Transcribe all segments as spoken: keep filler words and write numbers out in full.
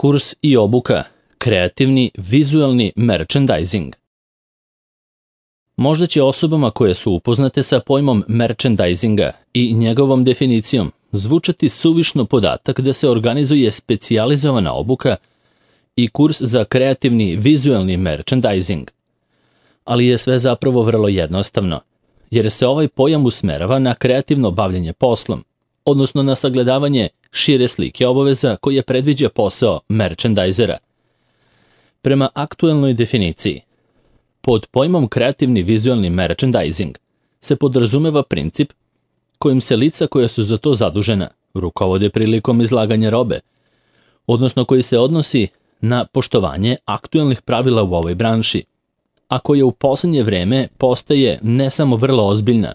Kurs i obuka, kreativni vizualni merchandising. Možda će osobama koje su upoznate sa pojmom merchandisinga i njegovom definicijom zvučati suvišno podatak da se organizuje specijalizovana obuka i kurs za kreativni vizualni merchandising. Ali je sve zapravo vrlo jednostavno, jer se ovaj pojam usmerava na kreativno bavljenje poslom, odnosno na sagledavanje šire slike obaveza koje predviđa posao merchandisera. Prema aktuelnoj definiciji, pod pojmom kreativni vizualni merchandising se podrazumeva princip kojim se lica koja su za to zadužena rukovode prilikom izlaganja robe, odnosno koji se odnosi na poštovanje aktuelnih pravila u ovoj branši, a koja u posljednje vreme postaje ne samo vrlo ozbiljna,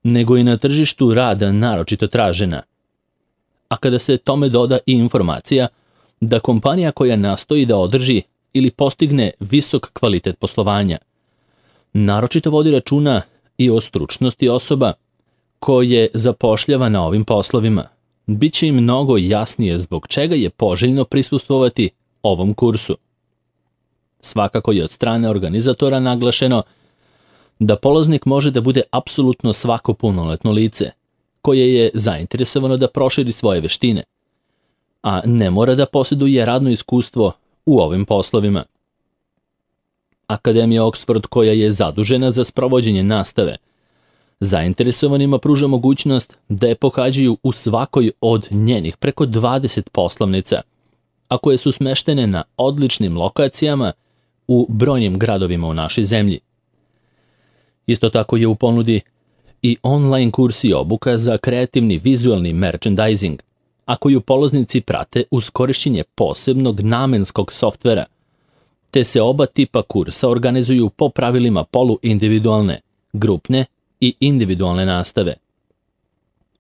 nego i na tržištu rada naročito tražena. A kada se tome doda i informacija da kompanija koja nastoji da održi ili postigne visok kvalitet poslovanja, naročito vodi računa i o stručnosti osoba koje zapošljava na ovim poslovima, bit će im mnogo jasnije zbog čega je poželjno prisustvovati ovom kursu. Svakako je od strane organizatora naglašeno da polaznik može da bude apsolutno svako punoletno lice, koje je zainteresovano da proširi svoje veštine, a ne mora da posjeduje radno iskustvo u ovim poslovima. Akademija Oxford, koja je zadužena za sprovođenje nastave, zainteresovanima pruža mogućnost da je pohađaju u svakoj od njenih preko dvadeset poslovnica, a koje su smeštene na odličnim lokacijama u brojnim gradovima u našoj zemlji. Isto tako je u ponudi i online kurs i obuka za kreativni vizualni merchandising, a koju polaznici prate uz korišćenje posebnog namenskog softvera, te se oba tipa kursa organizuju po pravilima poluindividualne, grupne i individualne nastave.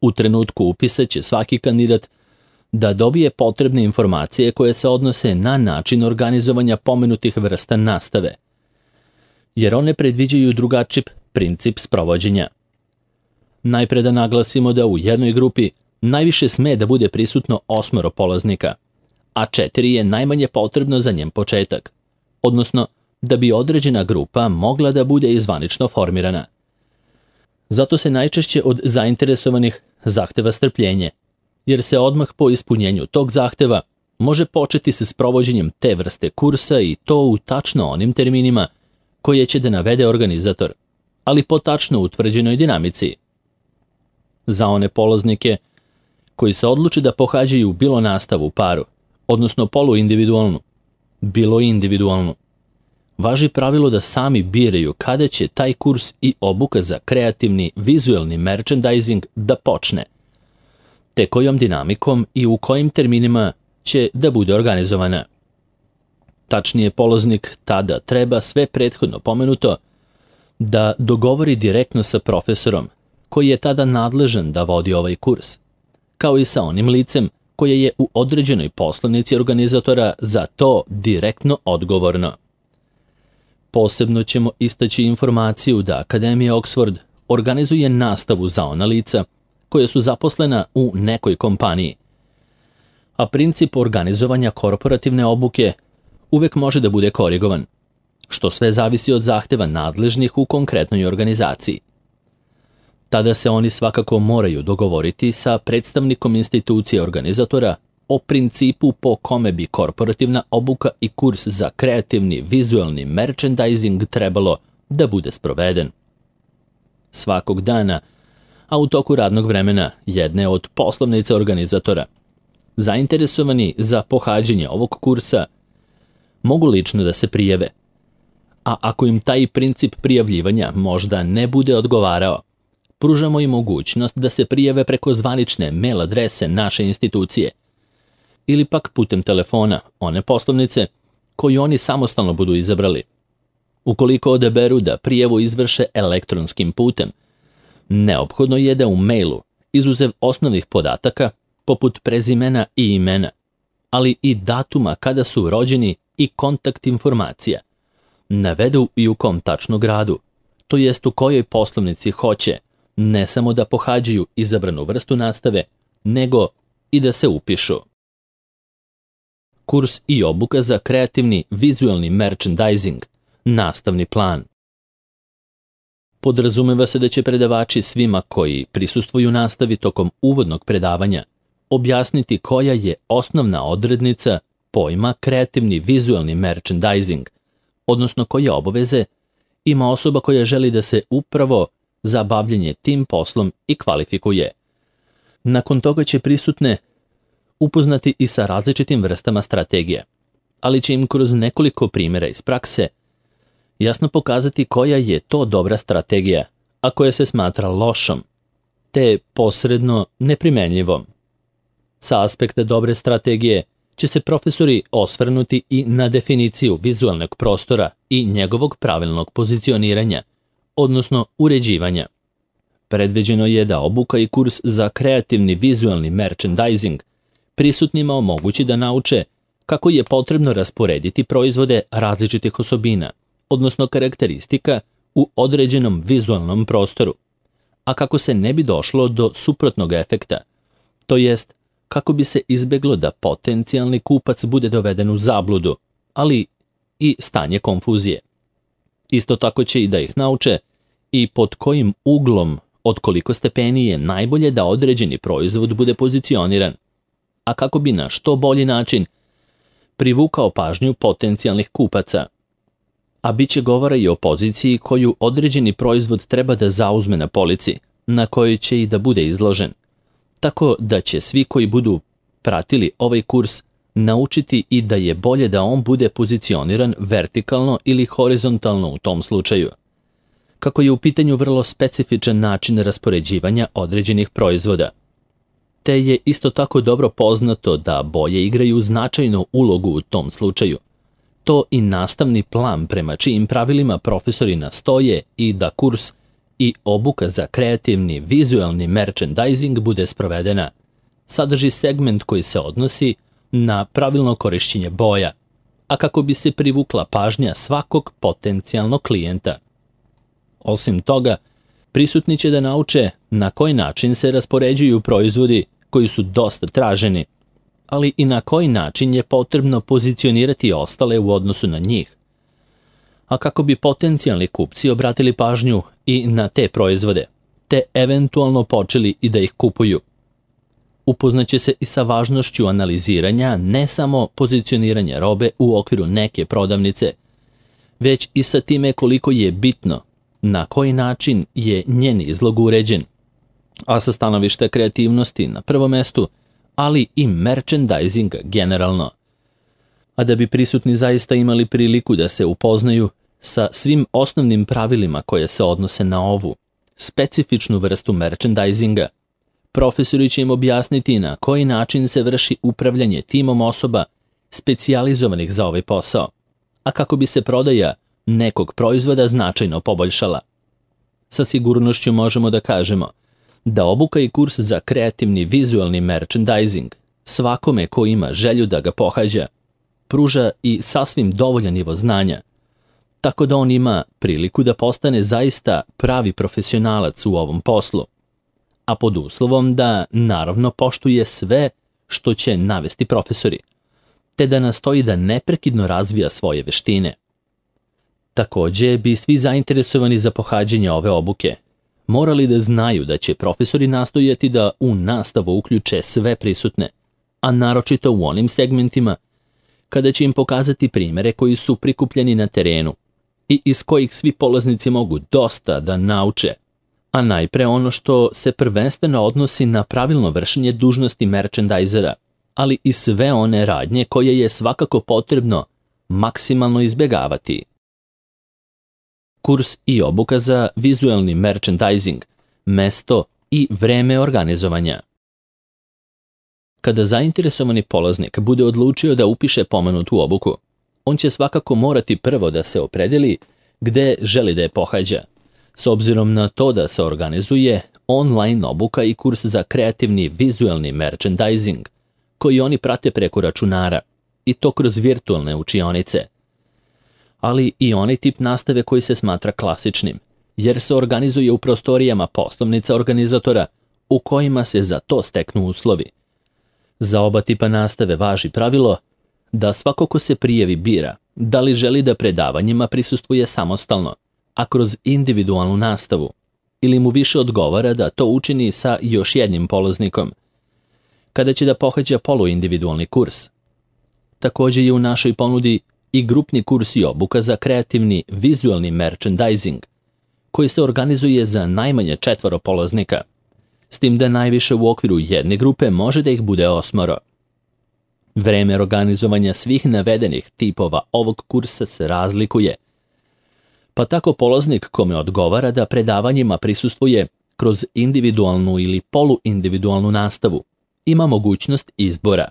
U trenutku upisa će svaki kandidat da dobije potrebne informacije koje se odnose na način organizovanja pomenutih vrsta nastave, jer one predviđaju drugačiji princip sprovođenja. Najpre da naglasimo da u jednoj grupi najviše sme da bude prisutno osmoro polaznika, a četiri je najmanje potrebno za njen početak, odnosno da bi određena grupa mogla da bude i zvanično formirana. Zato se najčešće od zainteresovanih zahteva strpljenje, jer se odmah po ispunjenju tog zahteva može početi sa sprovođenjem te vrste kursa i to u tačno onim terminima koje će da navede organizator, ali po tačno utvrđenoj dinamici. Za one polaznike koji se odluče da pohađaju bilo nastavu u paru, odnosno poluindividualnu, bilo i individualnu, važi pravilo da sami biraju kada će taj kurs i obuka za kreativni vizualni merchandising da počne, te kojom dinamikom i u kojim terminima će da bude organizovana. Tačnije, polaznik tada treba sve prethodno pomenuto da dogovori direktno sa profesorom koji je tada nadležan da vodi ovaj kurs, kao i sa onim licem koje je u određenoj poslovnici organizatora za to direktno odgovorno. Posebno ćemo istaći informaciju da Akademija Oxford organizuje nastavu za ona lica koje su zaposlena u nekoj kompaniji, a princip organizovanja korporativne obuke uvek može da bude korigovan, što sve zavisi od zahteva nadležnih u konkretnoj organizaciji. Tada se oni svakako moraju dogovoriti sa predstavnikom institucije organizatora o principu po kome bi korporativna obuka i kurs za kreativni vizualni merchandising trebalo da bude sproveden. Svakog dana, a u toku radnog vremena jedne od poslovnica organizatora, zainteresovani za pohađanje ovog kursa mogu lično da se prijave, a ako im taj princip prijavljivanja možda ne bude odgovarao, pružamo im mogućnost da se prijave preko zvanične mail adrese naše institucije ili pak putem telefona one poslovnice koju oni samostalno budu izabrali. Ukoliko odaberu da prijavu izvrše elektronskim putem, neophodno je da u mailu, izuzev osnovnih podataka, poput prezimena i imena, ali i datuma kada su rođeni i kontakt informacija, navedu i u kom tačno gradu, to jest u kojoj poslovnici hoće ne samo da pohađaju izabranu vrstu nastave, nego i da se upišu. kurs i obuka za kreativni vizualni merchandising, nastavni plan. Podrazumeva se da će predavači svima koji prisustvuju nastavi tokom uvodnog predavanja objasniti koja je osnovna odrednica pojma kreativni vizualni merchandising, odnosno koje obaveze ima osoba koja želi da se upravo za bavljenje tim poslom i kvalifikuje. Nakon toga će prisutne upoznati i sa različitim vrstama strategije, ali će im kroz nekoliko primjera iz prakse jasno pokazati koja je to dobra strategija, a koja se smatra lošom, te posredno neprimenljivom. Sa aspekta dobre strategije će se profesori osvrnuti i na definiciju vizualnog prostora i njegovog pravilnog pozicioniranja, odnosno uređivanja. Predviđeno je da obuka i kurs za kreativni vizualni merchandising prisutnima omogući da nauče kako je potrebno rasporediti proizvode različitih osobina, odnosno karakteristika u određenom vizualnom prostoru, a kako se ne bi došlo do suprotnog efekta, to jest kako bi se izbeglo da potencijalni kupac bude doveden u zabludu, ali i stanje konfuzije. Isto tako će i da ih nauče i pod kojim uglom od koliko stepeni je najbolje da određeni proizvod bude pozicioniran, a kako bi na što bolji način privukao pažnju potencijalnih kupaca. A bit će govora i o poziciji koju određeni proizvod treba da zauzme na polici, na kojoj će i da bude izložen, tako da će svi koji budu pratili ovaj kurs naučiti i da je bolje da on bude pozicioniran vertikalno ili horizontalno u tom slučaju. Kako je u pitanju vrlo specifičan način raspoređivanja određenih proizvoda, te je isto tako dobro poznato da boje igraju značajnu ulogu u tom slučaju. To i nastavni plan prema čijim pravilima profesori nastoje i da kurs i obuka za kreativni vizualni merchandising bude sprovedena, sadrži segment koji se odnosi na pravilno korišćenje boja, a kako bi se privukla pažnja svakog potencijalnog klijenta. Osim toga, prisutni će da nauče na koji način se raspoređuju proizvodi koji su dosta traženi, ali i na koji način je potrebno pozicionirati ostale u odnosu na njih, a kako bi potencijalni kupci obratili pažnju i na te proizvode, te eventualno počeli i da ih kupuju. Upoznaće se i sa važnošću analiziranja ne samo pozicioniranja robe u okviru neke prodavnice, već i sa time koliko je bitno na koji način je njen izlog uređen, a sa stanovišta kreativnosti na prvom mestu, ali i merchandisinga generalno. A da bi prisutni zaista imali priliku da se upoznaju sa svim osnovnim pravilima koje se odnose na ovu specifičnu vrstu merchandisinga, profesori će im objasniti na koji način se vrši upravljanje timom osoba specijalizovanih za ovaj posao, a kako bi se prodaja nekog proizvoda značajno poboljšala. Sa sigurnošću možemo da kažemo da obuka i kurs za kreativni vizualni merchandising svakome ko ima želju da ga pohađa pruža i sasvim dovoljan nivo znanja, tako da on ima priliku da postane zaista pravi profesionalac u ovom poslu, a pod uslovom da naravno poštuje sve što će navesti profesori, te da nastoji da neprekidno razvija svoje veštine. Takođe bi svi zainteresovani za pohađanje ove obuke morali da znaju da će profesori nastojati da u nastavu uključe sve prisutne, a naročito u onim segmentima kada će im pokazati primere koji su prikupljeni na terenu i iz kojih svi polaznici mogu dosta da nauče, a najpre ono što se prvenstveno odnosi na pravilno vršenje dužnosti merchandisera, ali i sve one radnje koje je svakako potrebno maksimalno izbjegavati. Kurs i obuka za vizualni merchandising, mesto i vreme organizovanja. Kada zainteresovani polaznik bude odlučio da upiše pomenutu obuku, on će svakako morati prvo da se opredeli gde želi da je pohađa, s obzirom na to da se organizuje online obuka i kurs za kreativni vizualni merchandising, koji oni prate preko računara, i to kroz virtualne učionice, ali i onaj tip nastave koji se smatra klasičnim, jer se organizuje u prostorijama poslovnica organizatora u kojima se za to steknu uslovi. Za oba tipa nastave važi pravilo da svako ko se prijavi bira da li želi da predavanjima prisustvuje samostalno, a kroz individualnu nastavu, ili mu više odgovara da to učini sa još jednim polaznikom, kada će da pohađa poluindividualni kurs. Također je u našoj ponudi i grupni kurs i obuka za kreativni vizualni merchandising, koji se organizuje za najmanje četvoro polaznika, s tim da najviše u okviru jedne grupe može da ih bude osmoro. Vreme organizovanja svih navedenih tipova ovog kursa se razlikuje, pa tako polaznik kome odgovara da predavanjima prisustvuje kroz individualnu ili poluindividualnu nastavu ima mogućnost izbora,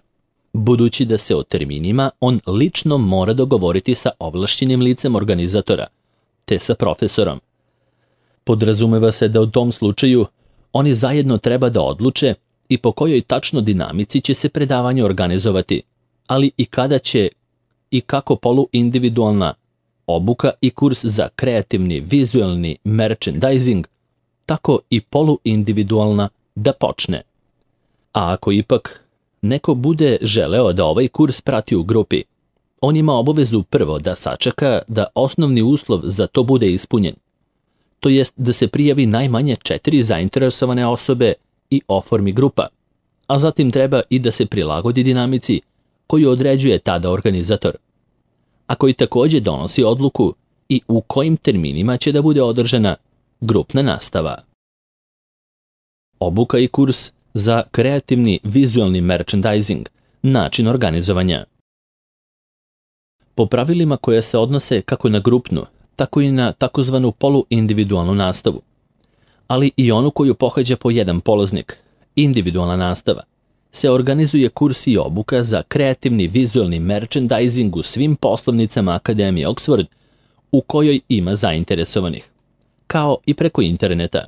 budući da se o terminima on lično mora dogovoriti sa ovlašćenim licem organizatora, te sa profesorom. Podrazumeva se da u tom slučaju oni zajedno treba da odluče i po kojoj tačno dinamici će se predavanje organizovati, ali i kada će i kako poluindividualna obuka i kurs za kreativni vizualni merchandising, tako i poluindividualna da počne. A ako ipak neko bude želeo da ovaj kurs prati u grupi, on ima obavezu prvo da sačeka da osnovni uslov za to bude ispunjen, to jest da se prijavi najmanje četiri zainteresovane osobe i oformi grupa, a zatim treba i da se prilagodi dinamici koju određuje tada organizator, a koji također donosi odluku i u kojim terminima će da bude održana grupna nastava. Obuka i kurs za kreativni vizualni merchandising, način organizovanja. Po pravilima koja se odnose kako na grupnu, tako i na takozvanu poluindividualnu nastavu, ali i onu koju pohađa po jedan polaznik, individualna nastava, se organizuje kurs i obuka za kreativni vizualni merchandising u svim poslovnicama Akademije Oxford u kojoj ima zainteresovanih, kao i preko interneta.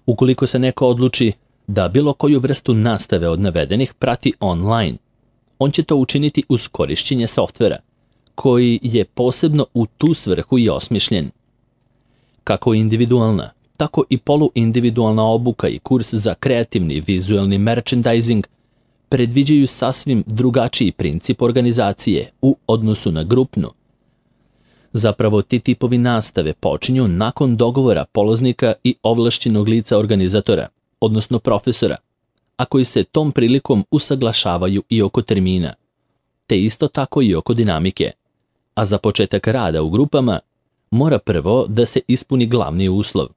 Ukoliko se neko odluči da bilo koju vrstu nastave od navedenih prati online, on će to učiniti uz korišćenje softvera, koji je posebno u tu svrhu i osmišljen. Kako individualna, tako i poluindividualna obuka i kurs za kreativni vizualni merchandising predviđaju sasvim drugačiji princip organizacije u odnosu na grupnu. Zapravo ti tipovi nastave počinju nakon dogovora polaznika i ovlašćenog lica organizatora, odnosno profesora, a koji se tom prilikom usaglašavaju i oko termina, te isto tako i oko dinamike, a za početak rada u grupama mora prvo da se ispuni glavni uslov.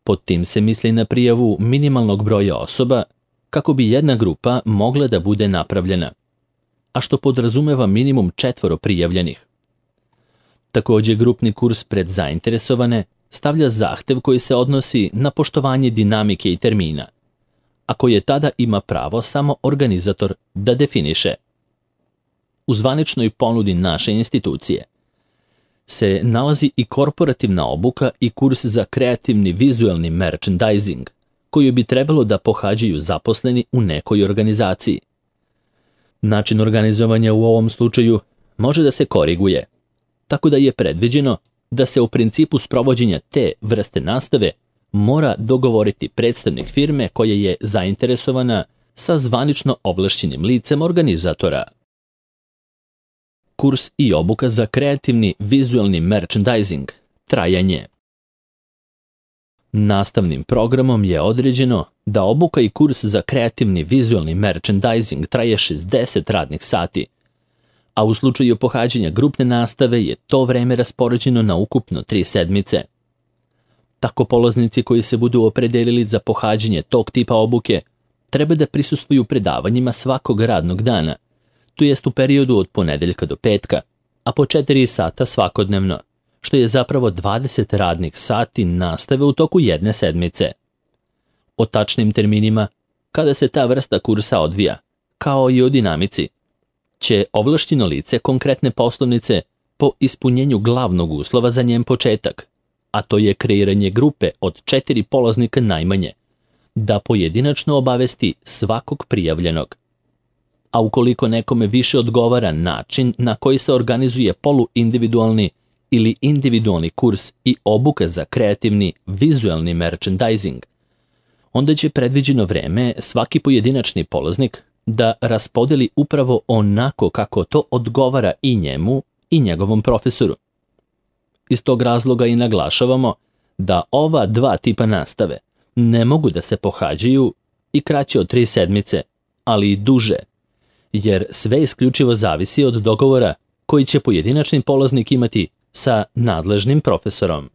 Pod tim se misli na prijavu minimalnog broja osoba kako bi jedna grupa mogla da bude napravljena, a što podrazumeva minimum četvoro prijavljenih. Također grupni kurs pred zainteresovane stavlja zahtev koji se odnosi na poštovanje dinamike i termina, a koje tada ima pravo samo organizator da definiše. U zvaničnoj ponudi naše institucije se nalazi i korporativna obuka i kurs za kreativni vizualni merchandising, koju bi trebalo da pohađaju zaposleni u nekoj organizaciji. Način organizovanja u ovom slučaju može da se koriguje, tako da je predviđeno da se u principu sprovođenja te vrste nastave mora dogovoriti predstavnik firme koja je zainteresovana sa zvanično ovlašćenim licem organizatora. Kurs i obuka za kreativni vizualni merchandising, trajanje. Nastavnim programom je određeno da obuka i kurs za kreativni vizualni merchandising traje šezdeset radnih sati, a u slučaju pohađanja grupne nastave je to vreme raspoređeno na ukupno tri sedmice. Tako polaznici koji se budu opredelili za pohađanje tog tipa obuke treba da prisustvuju predavanjima svakog radnog dana, to jest u periodu od ponedeljka do petka, a po četiri sata svakodnevno, što je zapravo dvadeset radnih sati nastave u toku jedne sedmice. O tačnim terminima, kada se ta vrsta kursa odvija, kao i o dinamici, će ovlašćeno lice konkretne poslovnice po ispunjenju glavnog uslova za njen početak, a to je kreiranje grupe od četiri polaznika najmanje, da pojedinačno obavesti svakog prijavljenog. A ukoliko nekome više odgovara način na koji se organizuje poluindividualni ili individualni kurs i obuka za kreativni vizualni merchandising, onda će predviđeno vreme svaki pojedinačni polaznik da raspodeli upravo onako kako to odgovara i njemu i njegovom profesoru. Iz tog razloga i naglašavamo da ova dva tipa nastave ne mogu da se pohađaju i kraće od tri sedmice, ali i duže, jer sve isključivo zavisi od dogovora koji će pojedinačni polaznik imati sa nadležnim profesorom.